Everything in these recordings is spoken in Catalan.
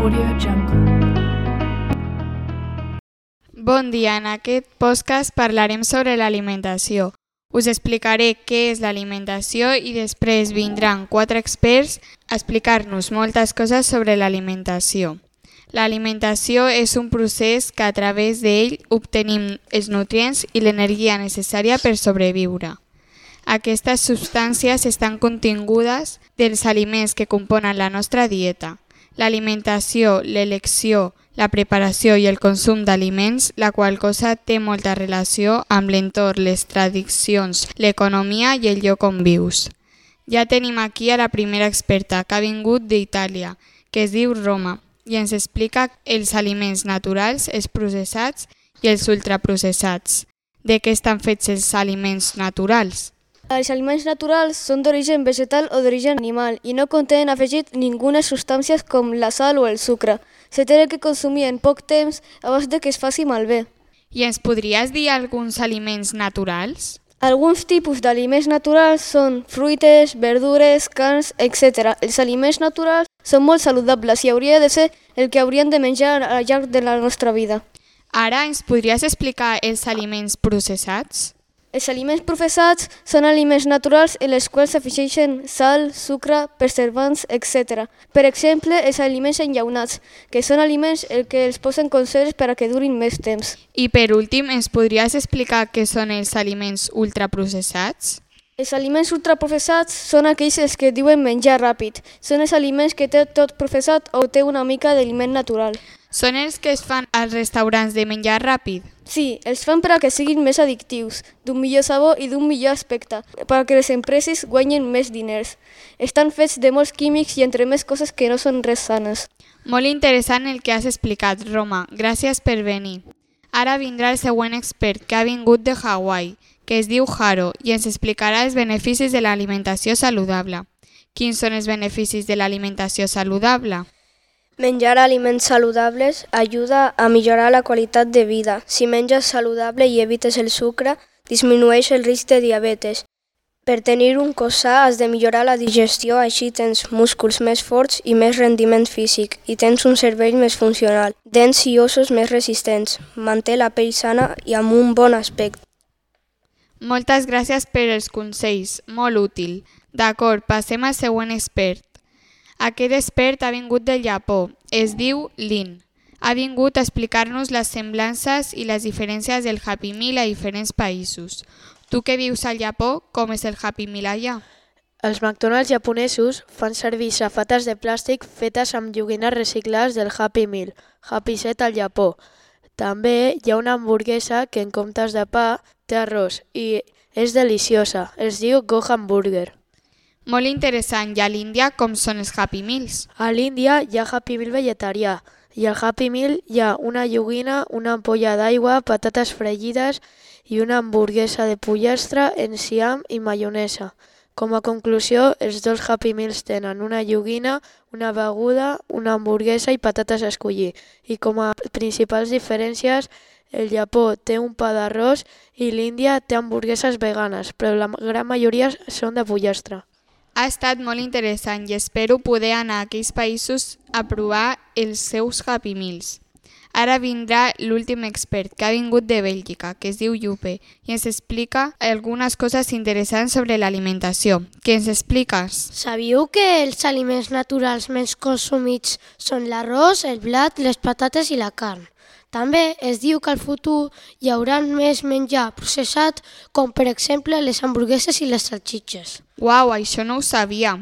AudioJungle. Bon dia, en aquest podcast parlarem sobre l'alimentació. Us explicaré què és l'alimentació i després vindran 4 experts a explicar-nos moltes coses sobre l'alimentació. L'alimentació és un procés que a través d'ell obtenim els nutrients i l'energia necessària per sobreviure. Aquestes substàncies estan contingudes dels aliments que componen la nostra dieta. L'alimentació, l'elecció, la preparació i el consum d'aliments, la qual cosa té molta relació amb l'entorn, les tradicions, l'economia i el lloc on vius. Ja tenim aquí a la primera experta que ha vingut d'Itàlia, que es diu Roma, i ens explica els aliments naturals, els processats i els ultraprocessats. De què estan fets els aliments naturals? Els aliments naturals són d'origen vegetal o d'origen animal i no contenen afegit ninguna substàncies com la sal o el sucre. Se té que consumir en poc temps abans de que es faci malbé. I ens podries dir alguns aliments naturals? Alguns tipus d'aliments naturals són fruites, verdures, carns, etc. Els aliments naturals són molt saludables i hauria de ser el que hauríem de menjar al llarg de la nostra vida. Ara ens podries explicar els aliments processats? Els aliments processats són aliments naturals en els quals s'afegeixen sal, sucre, preservants, etc. Per exemple, els aliments enllaunats, que són aliments que els posen conserves per a que durin més temps. I per últim, ens podries explicar què són els aliments ultraprocessats? Els aliments ultraprocessats són aquells que diuen menjar ràpid. Són els aliments que té tot processat o té una mica d'aliment natural. Són els que es fan als restaurants de menjar ràpid? Sí, els fan per a que siguin més addictius, d'un millor sabor i d'un millor aspecte, per a que les empreses guanyin més diners. Estan fets de molts químics i entre més coses que no són res sanes. Molt interessant el que has explicat, Roma. Gràcies per venir. Ara vindrà el següent expert que ha vingut de Hawaii, que es diu Haro, i ens explicarà els beneficis de l'alimentació saludable. Quins són els beneficis de l'alimentació saludable? Menjar aliments saludables ajuda a millorar la qualitat de vida. Si menges saludable i evites el sucre, disminueix el risc de diabetes. Per tenir un cos sa has de millorar la digestió, així tens músculs més forts i més rendiment físic, i tens un cervell més funcional, dents i ossos més resistents, manté la pell sana i amb un bon aspecte. Moltes gràcies per els consells, molt útil. D'acord, passem al següent expert. Aquest expert ha vingut del Japó, es diu Lin. Ha vingut a explicar-nos les semblances i les diferències del Happy Meal a diferents països. Tu que vius al Japó, com és el Happy Meal allà? Els McDonald's japonesos fan servir safates de plàstic fetes amb joguines reciclades del Happy Meal, Happy Set al Japó. També hi ha una hamburguesa que en comptes de pa té arròs i és deliciosa, es diu Gohan Burger. Molt interessant. I a l'Índia com són els Happy Meals? A l'Índia hi ha Happy Meal vegetarià i al Happy Meal hi ha una joguina, una ampolla d'aigua, patates fregides i una hamburguesa de pollastre, enciam i maionesa. Com a conclusió, els dos Happy Meals tenen una joguina, una beguda, una hamburguesa i patates a escollir. I com a principals diferències, el Japó té un pa d'arròs i l'Índia té hamburgueses veganes, però la gran majoria són de pollastre. Ha estat molt interessant i espero poder anar a aquells països a provar els seus Happy Meals. Ara vindrà l'últim expert que ha vingut de Bèlgica, que es diu Yupe, i ens explica algunes coses interessants sobre l'alimentació. Què ens expliques? Sabíeu que els aliments naturals més consumits són l'arròs, el blat, les patates i la carn? També es diu que al futur hi haurà més menjar processat, com per exemple les hamburgueses i les salsitxes. Uau, això no ho sabia.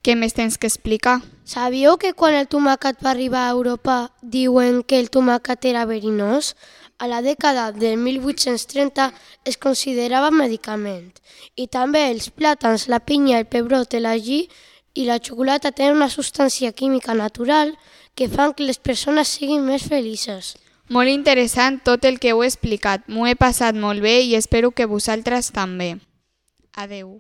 Què més tens que explicar? Sabíeu que quan el tomàquet va arribar a Europa diuen que el tomàquet era verinós? A la dècada del 1830 es considerava medicament. I també els plàtans, la pinya, el pebrot, l'agí i la xocolata tenen una substància química natural que fan que les persones siguin més felices. Molt interessant tot el que heu explicat. M'ho he passat molt bé i espero que vosaltres també. Adeu.